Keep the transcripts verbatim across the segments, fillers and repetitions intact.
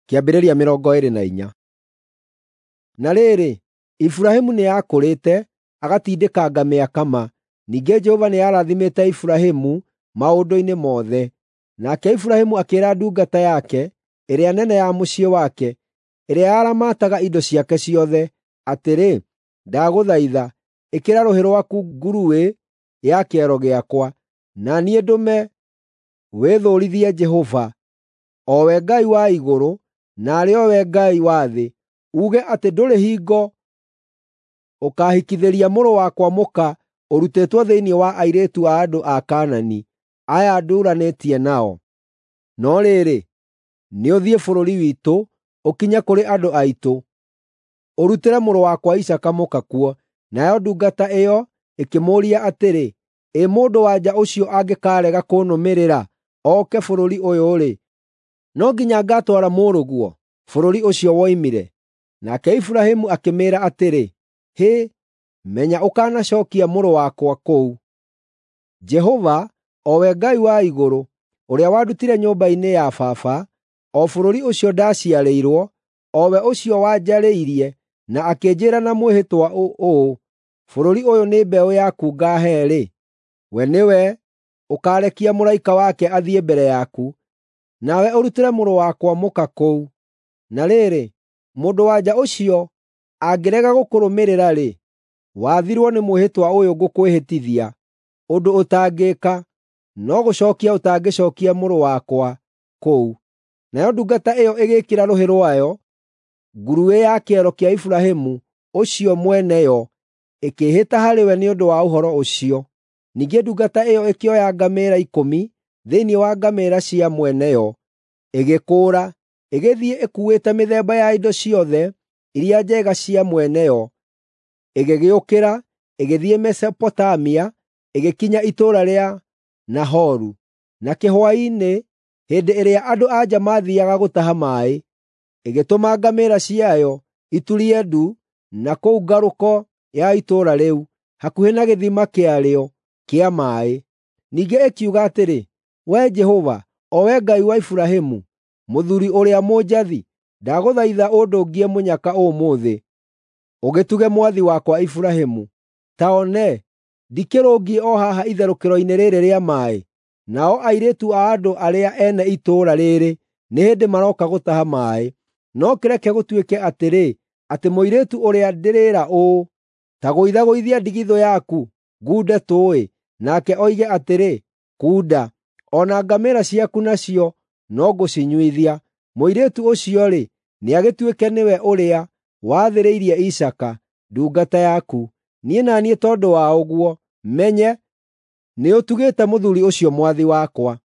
Kĩambĩrĩria mĩrongo ĩĩrĩ na inya. Na rĩrĩ, Iburahĩmu nĩakũrĩte, agatindĩkanga mĩaka ma, ningĩ Jehova nĩarathimĩte Iburahĩmu maũndũ-inĩ mothe. Nake Iburahĩmu akĩĩra ndungata yake, ĩrĩa nene ya mũciĩ wake, ĩrĩa yaramataga indo ciake ciothe, atĩrĩ, “Ndagũthaitha, ĩkĩra rũhĩ rwaku nguruĩ ya kĩero gĩakwa, na niĩ ndũme wĩthũũrithie Jehova, o we Ngai wa igũrũ, na arĩ o we Ngai wa thĩ, uuge atĩ ndũrĩ hingo ũkaahikithĩria mũrũ wakwa mũka ũrutĩtwo thĩinĩ wa airĩtu a andũ a Kaanani, aya ndũũranĩtie nao. No rĩrĩ, nĩũthiĩ bũrũri witũ, ũkinye kũrĩ andũ aitũ, ũrutĩre mũrũ wakwa Isaaka mũka kuo.” Nayo ndungata ĩyo ĩkĩmũũria atĩrĩ, “Ĩ mũndũ-wa-nja ũcio angĩkaarega kũnũmĩrĩra oke bũrũri ũyũ-rĩ, no nginya ngaatwara mũrũguo bũrũri ũcio woimire?” Nake Iburahĩmu akĩmĩĩra atĩrĩ, “Hĩ, menya ũkanacookia mũrũ wakwa kũu. Jehova, o we Ngai wa igũrũ, ũrĩa wandutire nyũmba-inĩ ya baba, o bũrũri ũcio ndaciarĩirwo, o we ũcio wanjarĩirie na akĩnjĩĩra na mwĩhĩtwa ũũ, ‘Bũrũri ũyũ nĩ mbeũ yaku ngaahe-rĩ,’ we nĩwe ũkaarekia mũraika wake athiĩ mbere yaku, nawe ũrutĩre mũrũ wakwa mũka kũu. Na rĩrĩ, mũndũ-wa-nja ũcio angĩrega gũkũrũmĩrĩra-rĩ, wathirwo nĩ mwĩhĩtwa ũyũ ngũkwĩhĩtithia, ũndũ ũtangĩĩka, no gũcookia ũtangĩcookia mũrũ wakwa kũu.” Nayo ndungata ĩyo ĩgĩĩkĩra rũhĩ rwayo nguruĩ ya kĩero kĩa Iburahĩmu ũcio mwene yo, ĩkĩĩhĩta harĩ we nĩ ũndũ wa ũhoro ũcio. Ningĩ ndungata ĩyo ĩkĩoya ngamĩĩra ikũmi thĩinĩ wa ngamĩĩra cia mwene yo, ĩgĩkũũra, ĩgĩthiĩ ĩkuuĩte mĩthemba ya indo ciothe iria njega cia mwene yo, ĩgĩgĩũkĩra, ĩgĩthiĩ Mesopotamia, ĩgĩkinya itũũra rĩa Nahoru. Na kĩhwaĩ-inĩ, hĩndĩ ĩrĩa andũ-a-nja maathiiaga gũtaha maaĩ, ĩgĩtũma ngamĩĩra ciayo iturie ndu na kũu ngarũko ya itũũra rĩu, hakuhĩ na gĩthima kĩarĩo kĩa maaĩ. Ningĩ ĩkiuga atĩrĩ, “Wee Jehova, o Wee Ngai wa Iburahĩmu, mũthuuri ũrĩa mũnjathi, ndagũthaitha ũndũngie mũnyaka ũmũthĩ, ũgĩtuge mwathi wakwa Iburahĩmu. Ta one, ndikĩrũngiĩ o haha itherũkĩro-inĩ rĩĩrĩ rĩa maaĩ, nao airĩtu a andũ arĩa ene itũũra rĩĩrĩ nĩ hĩndĩ marooka gũtaha maaĩ. No kĩreke gũtuĩke atĩrĩ, atĩ mũirĩtu ũrĩa ndĩrĩĩra ũũ, ‘Ta gũithagũithia ndigithũ yaku, ngunde tũũĩ,’ nake oige atĩrĩ, ‘Kunda,’ o na ngamĩĩra ciaku nacio no ngũcinyuithia. Mũirĩtu ũcio-rĩ, nĩagĩtuĩke nĩwe ũrĩa wathĩrĩirie Isaaka, ndungata yaku. Niĩ na niĩ tondũ wa ũguo menye nĩũtugĩte mũthuuri ũcio mwathi wakwa.”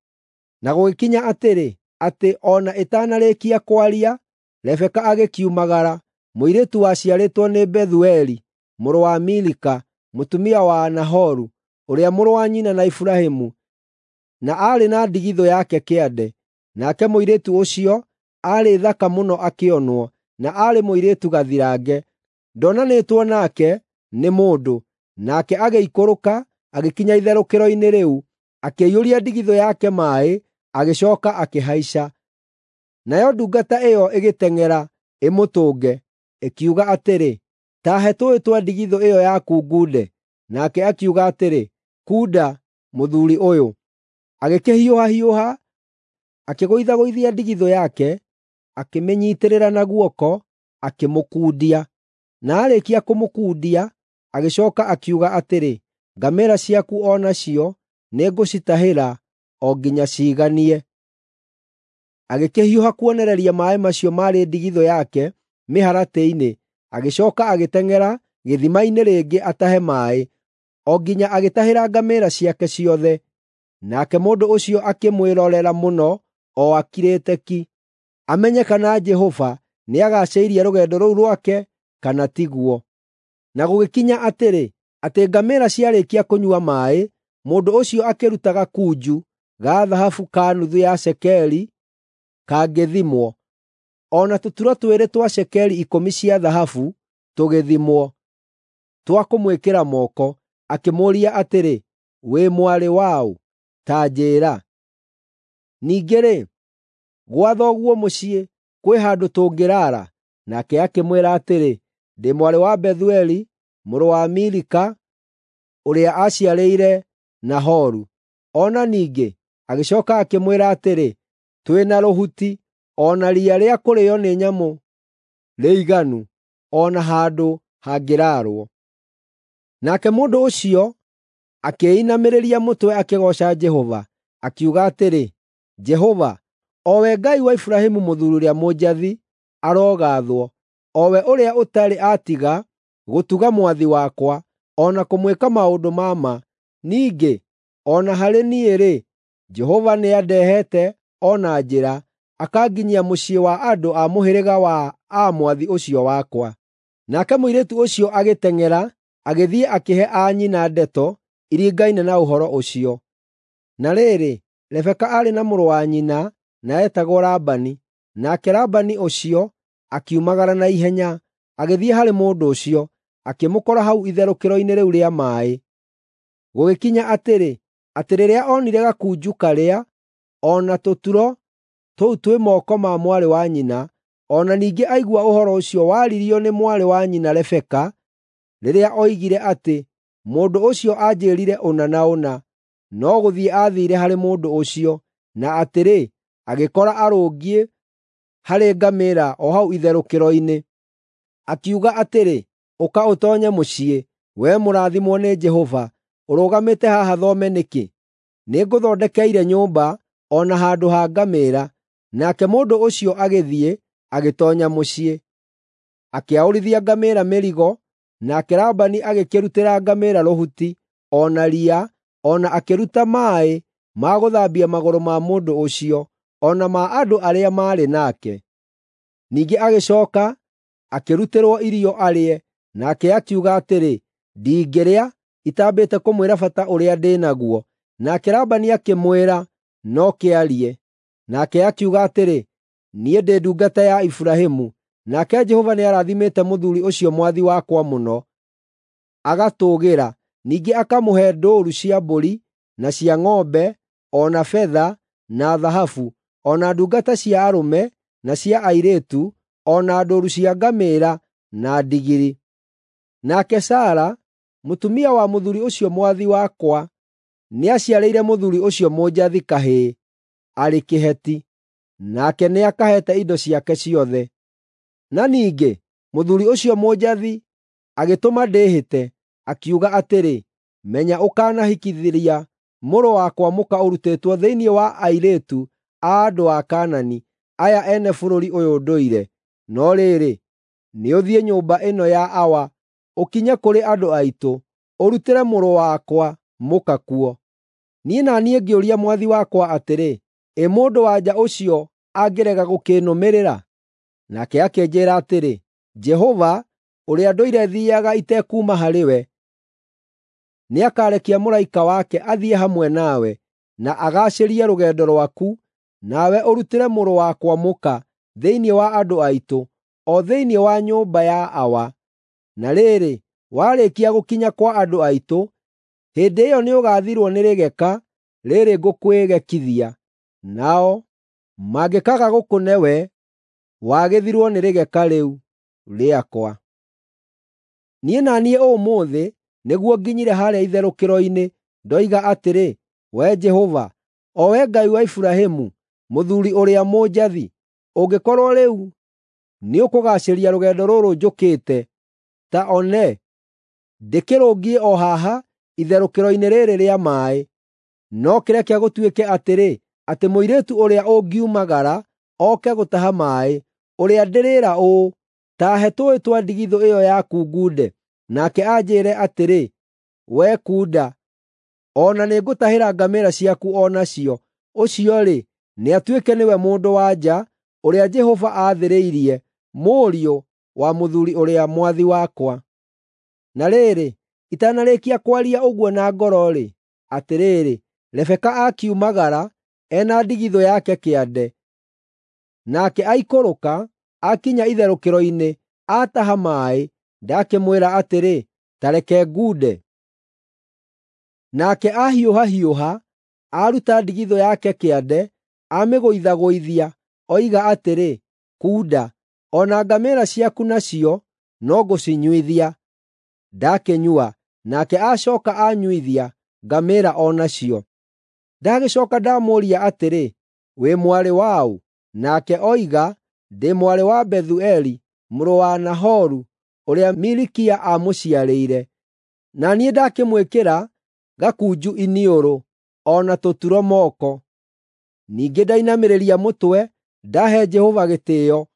Na gũgĩkinya atĩrĩ, atĩ o na ĩtanarĩkia kwaria, Rebeka agĩkiumagara, mũirĩtu waciarĩtwo nĩ Bethueli mũrũ wa Milika, mũtumia wa Nahoru, ũrĩa mũrũ wa nyina na Iburahĩmu, na aarĩ na ndigithũ yake kĩande. Nake mũirĩtu ũcio aarĩ thaka mũno akĩonwo, na aarĩ mũirĩtu gathirange. Ndonanĩtwo nake nĩ mũndũ. Nake agĩikũrũka, agĩkinya itherũkĩro-inĩ rĩu, akĩiyũria ndigithũ yake maaĩ, agĩcooka akĩhaica. Nayo ndungata ĩyo ĩgĩteng'era ĩmũtũnge, ĩkiuga atĩrĩ, “Ta he tũũĩ twa ndigithũ ĩyo yaku ngunde.” Nake akiuga atĩrĩ, “Kunda, mũthuuri ũyũ.” Agĩkĩhiũhahiũha, akĩgũithagũithia ndigithũ yake, akĩmĩnyiitĩrĩra na guoko, akĩmũkundia. Na aarĩkia kũmũkundia, agĩcooka akiuga atĩrĩ, “Ngamĩĩra ciaku o nacio nĩngũcitahĩra o nginya ciiganie.” Agĩkĩhiũha kuonereria maaĩ macio maarĩ ndigithũ yake mĩharatĩ-inĩ, agĩcooka agĩteng'era gĩthima-inĩ rĩngĩ atahe maaĩ, o nginya agĩtahĩra ngamĩĩra ciake ciothe. Nake mũndũ ũcio akĩmwĩrorera mũno o akirĩte ki, amenye kana Jehova nĩagacĩirie rũgendo rũu rwake kana tiguo. Na gũgĩkinya atĩrĩ, atĩ ngamĩĩra ciarĩkia kũnyua maaĩ, mũndũ ũcio akĩruta gakunju ga thahabu ka nuthu ya cekeri kangĩthimwo, o na tũturo twĩrĩ twa cekeri ikũmi cia thahabu tũgĩthimwo, twa kũmwĩkĩra moko, akĩmũũria atĩrĩ, “Wĩ mwarĩ waũ? Ta njĩĩra.” Ningĩ-rĩ, gwa thoguo mũciĩ Kwĩ handũ tũngĩraara?” Nake akĩmwĩra atĩrĩ, “Ndĩ mwarĩ wa Bethueli, mũrũ wa Milika, ũrĩa aaciarĩire Nahoru.” O na ningĩ agĩcooka akĩmwĩra atĩrĩ, “Twĩ na rũhuti o na riya rĩa kũrĩĩo nĩ nyamũ rĩiganu, o na handũ hangĩraarwo.” Nake mũndũ ũcio akĩinamĩrĩria mũtwe akĩgooca Jehova, akiuga atĩrĩ, “Jehova, o we Ngai wa Iburahĩmu mũthuuri ũrĩa mũnjathi, arogaathwo, o we ũrĩa ũtarĩ atiga gũtuga mwathi wakwa, o na kũmwĩka maũndũ ma ma. Ningĩ o na harĩ niĩ-rĩ, Jehova nĩandehete o na njĩra, akanginyia mũciĩ wa andũ a mũhĩrĩga wa a mwathi ũcio wakwa.” Nake mũirĩtu ũcio agĩteng'era, agĩthiĩ akĩhe anyina ndeto iringaine na ũhoro ũcio. Na rĩrĩ, Rebeka aarĩ na mũrũ wa nyina na eetagwo Labani. Nake Labani ũcio akiumagara na ihenya, agĩthiĩ harĩ mũndũ ũcio, akĩmũkora hau itherũkĩro-inĩ rĩu rĩa maaĩ. Gũgĩkinya atĩrĩ, atĩ rĩrĩa onire gakunju karĩa, o na tũturo tũu twĩ moko ma mwarĩ wa nyina, o na ningĩ aigua ũhoro ũcio waririo nĩ mwarĩ wa nyina Rebeka, rĩrĩa oigire atĩ, “Mũndũ ũcio anjĩĩrire ũna na ũna,” no gũthiĩ aathiire harĩ mũndũ ũcio, na atĩrĩ, agĩkora arũngiĩ harĩ ngamĩĩra o hau itherũkĩro-inĩ. Akiuga atĩrĩ, “Ũka ũtoonye mũciĩ, wee mũrathimwo nĩ Jehova. Ũrũgamĩte haha thome nĩkĩ? Nĩngũthondekeire nyũmba, o na handũ ha ngamĩĩra.” Nake mũndũ ũcio agĩthiĩ, agĩtoonya mũciĩ. Akĩaũrithia ngamĩĩra mĩrigo, nake Labani agĩkĩrutĩra ngamĩĩra rũhuti, o na riya, o na akĩruta maaĩ ma gũthambia magũrũ ma mũndũ ũcio, o na ma andũ arĩa maarĩ nake. Ningĩ agĩcooka akĩrutĩrwo irio arĩe, nake akiuga atĩrĩ, “Ndingĩrĩa itambĩte kũmwĩra bata ũrĩa ndĩ naguo.” Nake Labani akĩmwĩra, “No kĩarie.” Nake akiuga atĩrĩ, “Niĩ ndĩ ndungata ya Iburahĩmu. Nake Jehova nĩarathimĩte mũthuuri ũcio mwathi wakwa mũno, agatũũgĩra, ningĩ akamũhe ndũũru cia mbũri na cia ng'ombe, o na betha na thahabu, o na ndungata cia arũme na cia airĩtu, o na ndũũru cia ngamĩĩra na ndigiri. Nake Sara, mũtumia wa mũthuuri ũcio mwathi wakwa, nĩaciarĩire mũthuuri ũcio mũnjathi kahĩĩ arĩ kĩheti, nake nĩakaheete indo ciake ciothe. Na ningĩ mũthuuri ũcio mũnjathi agĩtũma ndĩĩhĩte, akiuga atĩrĩ, ‘Menya ũkanahikithĩria mũrũ wakwa mũka ũrutĩtwo thĩinĩ wa airĩtu a andũ a Kaanani, aya ene bũrũri ũyũ ndũire. No rĩrĩ, nĩũthiĩ nyũmba ĩno ya awa, ũkinye kũrĩ andũ aitũ, ũrutĩre mũrũ wakwa mũka kuo.’ Niĩ na niĩ ngĩũria mwathi wakwa atĩrĩ, ‘Ĩ mũndũ-wa-nja ũcio angĩrega gũkĩnũmĩrĩra?’ Nake akĩnjĩĩra atĩrĩ, ‘Jehova, ũrĩa ndũire thiiaga itekuuma harĩ we, nĩakarekia mũraika wake athiĩ hamwe nawe, na agaacĩrie rũgendo rwaku, nawe ũrutĩre mũrũ wakwa mũka thĩinĩ wa andũ aitũ, o thĩinĩ wa nyũmba ya awa. Na rĩrĩ, warĩkia gũkinya kwa andũ aitũ, hĩndĩ ĩyo nĩũgathirwo nĩ rĩgeka rĩĩrĩ ngũkwĩgekithia. Nao mangĩkaaga gũkũne we, wagĩthirwo nĩ rĩgeka rĩu rĩakwa.’ Niĩ na niĩ ũmũthĩ nĩguo nginyire harĩa itherũkĩro-inĩ, ndoiga atĩrĩ, ‘Wee Jehova, o Wee Ngai wa Iburahĩmu, mũthuuri ũrĩa mũnjathi, ũngĩkorwo rĩu nĩũkũgaacĩria rũgendo rũrũ njũkĩte, ta one, ndĩkĩrũngiĩ o haha itherũkĩro-inĩ rĩĩrĩ rĩa maaĩ. No kĩreke gũtuĩke atĩrĩ, atĩ mũirĩtu ũrĩa ũngiumagara oke gũtaha maaĩ, ũrĩa ndĩrĩĩra ũũ, ‘Ta he tũũĩ twa ndigithũ ĩyo yaku ngunde,’ nake anjĩĩre atĩrĩ, ‘Wee kunda, o na nĩngũtahĩra ngamĩĩra ciaku o nacio,’ ũcio-rĩ, nĩatuĩke nĩwe mũndũ-wa-nja ũrĩa Jehova aathĩrĩirie, mũriũ wa mũthuuri ũrĩa mwathi wakwa.” Na rĩrĩ, itanarĩkia kwaria ũguo na ngoro-rĩ, atĩrĩrĩ, Rebeka akiumagara e na ndigithũ yake kĩande. Nake aikũrũka, akinya itherũkĩro-inĩ, aataha maaĩ, ndakĩmwĩra atĩrĩ, “Ta reke ngunde.” Nake ahiũhahiũha, aruta ndigithũ yake kĩande, amĩgũithagũithia, oiga atĩrĩ, Kunda, o na ngamĩĩra ciaku nacio no ngũcinyuithia.” Ndakĩnyua, nake acooka aanyuithia ngamĩĩra o nacio. Ndagĩcooka ndamũũria atĩrĩ, ‘Wĩ mwarĩ waũ?’ Nake oiga, ‘Ndĩ mwarĩ wa Bethueli, mũrũ wa Nahoru, ũrĩa Milikia aamũciarĩire.’ Na niĩ ndakĩmwĩkĩra gakunju iniũrũ, o na tũturo moko. Ningĩ ndainamĩrĩria mũtwe, ndahe Jehova gĩtĩĩo,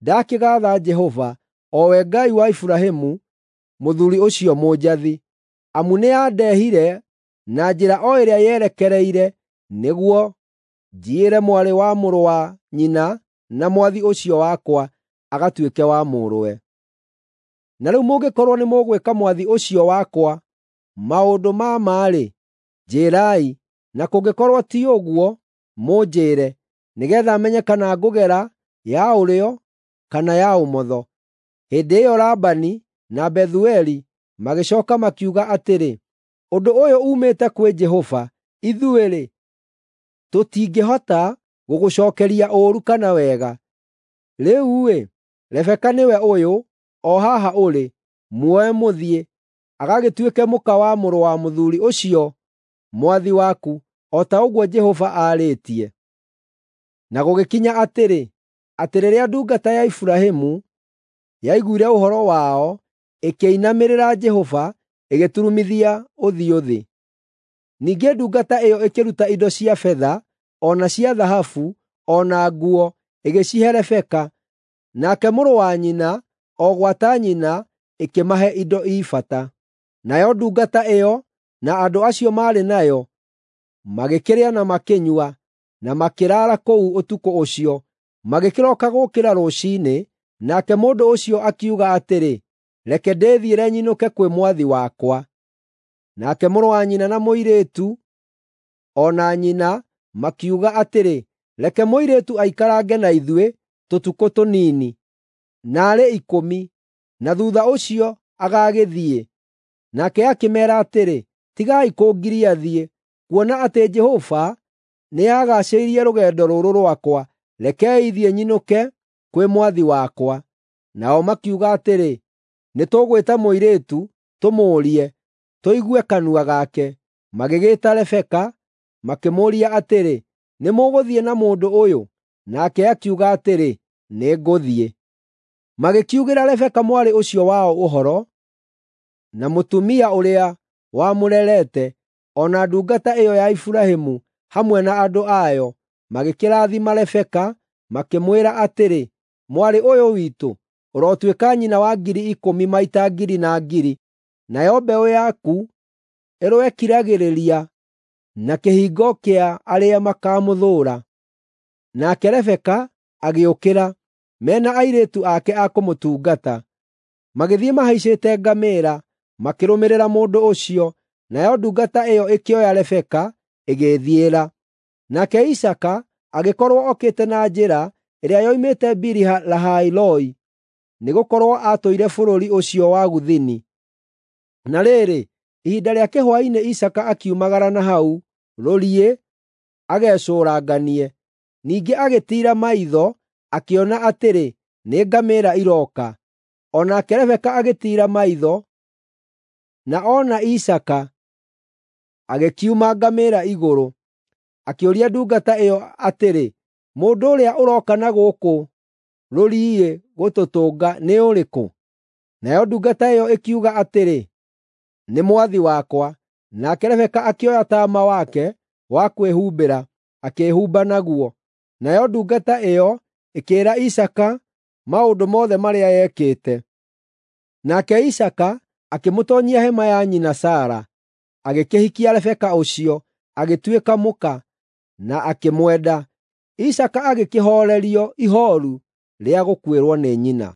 ndakĩgaatha Jehova, o we Ngai wa Iburahĩmu, mũthuuri ũcio mũnjathi, amu nĩandehire na njĩra o ĩrĩa yerekereire nĩguo njiĩre mwarĩ wa mũrũ wa nyina na mwathi ũcio wakwa agatuĩke wa mũrũwe. Na rĩu mũngĩkorwo nĩmũgwĩka mwathi ũcio wakwa maũndũ ma ma-rĩ, njĩĩrai, na kũngĩkorwo ti ũguo, mũnjĩĩre, nĩgeetha menye kana ngũgera ya ũrĩo kana ya ũmotho.” Hĩndĩ ĩyo Labani na Bethueli magĩcooka makiuga atĩrĩ, “Ũndũ ũyũ uumĩte kwĩ Jehova; ithuĩ-rĩ, tũtingĩhota gũgũcookeria ũũru kana wega. Rĩu-rĩ, Rebeka nĩwe ũyũ, o haha ũrĩ, muoe mũthiĩ, agagĩtuĩke mũka wa mũrũ wa mũthuuri ũcio mwathi waku, o ta ũguo Jehova aarĩtie.” Na gũgĩkinya atĩrĩ, atĩ rĩrĩa ndungata ya Iburahĩmu yaiguire ũhoro wao, ĩkĩinamĩrĩra Jehova, ĩgĩturumithia ũthiũ thĩ. Ningĩ ndungata ĩyo ĩkĩruta indo cia betha, o na cia thahabu, o na nguo, ĩgĩcihe Rebeka, nake mũrũ wa nyina, o gwata nyina, ĩkĩmahe indo i bata. Nayo ndungata ĩyo na andũ acio maarĩ nayo magĩkĩrĩa na makĩnyua, na makĩraara kũu ũtukũ ũcio. Magĩkĩroka gũũkĩra rũciinĩ, nake mũndũ ũcio akiuga atĩrĩ, “Reke ndĩthiĩre nyinũke kwĩ mwathi wakwa.” Nake mũrũ wa nyina na mũirĩtu o na nyina makiuga atĩrĩ, “Reke mũirĩtu aikarange na ithuĩ tũtukũ tũnini, naarĩ ikũmi, na thuutha ũcio agagĩthiĩ.” Nake akĩmeera atĩrĩ, “Tigai kũngiria thiĩ, kuona atĩ Jehova nĩagaacĩirie rũgendo rũrũ rwakwa. Rekei thiĩ nyinũke kwĩ mwathi wakwa.” Nao makiuga atĩrĩ, “Nĩtũgwĩta mũirĩtu tũmũũrie, tũigue kanua gake.” Magĩgĩĩta Rebeka, makĩmũũria atĩrĩ, “Nĩmũgũthiĩ na mũndũ ũyũ?” Nake akiuga atĩrĩ, “Nĩngũthiĩ.” Magĩkiugĩra Rebeka mwarĩ ũcio wao ũhoro, na mũtumia ũrĩa wamũrerete, o na ndungata ĩyo ya Iburahĩmu hamwe na andũ ayo, magĩkĩrathima Rebeka, makĩmwĩra atĩrĩ, “Mwarĩ ũyũ witũ, ũrotuĩka nyina wa ngiri ikũmi maita ngiri na ngiri, nayo mbeũ yaku ĩroekiragĩrĩria na kĩhingo kĩa arĩa makamũthũũra.” Nake Rebeka agĩũkĩra, me na airĩtu ake a kũmũtungata. Magĩthiĩ mahaicĩte ngamĩĩra, makĩrũmĩrĩra mũndũ ũcio, nayo ndungata ĩyo ĩkĩoya Rebeka ĩgĩĩthiĩra. Nake Isaaka agĩkorwo okĩte na njĩra ĩrĩa yoimĩte Biri-Lahai-Roi, nĩgũkorwo aatũire bũrũri ũcio wa Gũthini. Na rĩrĩ, ihinda rĩa kĩhwaĩ-inĩ Isaaka akiumagara na hau rũriĩ agecũranganie. Ningĩ agĩtiira maitho, akĩona atĩrĩ, nĩ ngamĩĩra irooka. O nake Rebeka agĩtiira maitho, na ona Isaaka, agĩkiuma ngamĩĩra igũrũ. Akĩũria ndungata ĩyo atĩrĩ, “Mũndũ ũrĩa ũroka na gũkũ rũriĩ gũtũtũnga nĩ ũrĩkũ?” Nayo ndungata ĩyo ĩkiuga atĩrĩ, “Nĩ mwathi wakwa.” Nake Rebeka akĩoya taama wake wa kwĩhumbĩra, akĩĩhumba naguo. Nayo ndungata ĩyo ĩkĩĩra Isaaka maũndũ mothe marĩa yekĩte. Nake Isaaka akĩmũtoonyia hema ya nyina Sara, agĩkĩhikia Rebeka ũcio, agĩtuĩka mũka, na akĩmwenda. Isaaka agĩkĩhoorerio ihooru rĩa gũkuĩrwo nĩ nyina.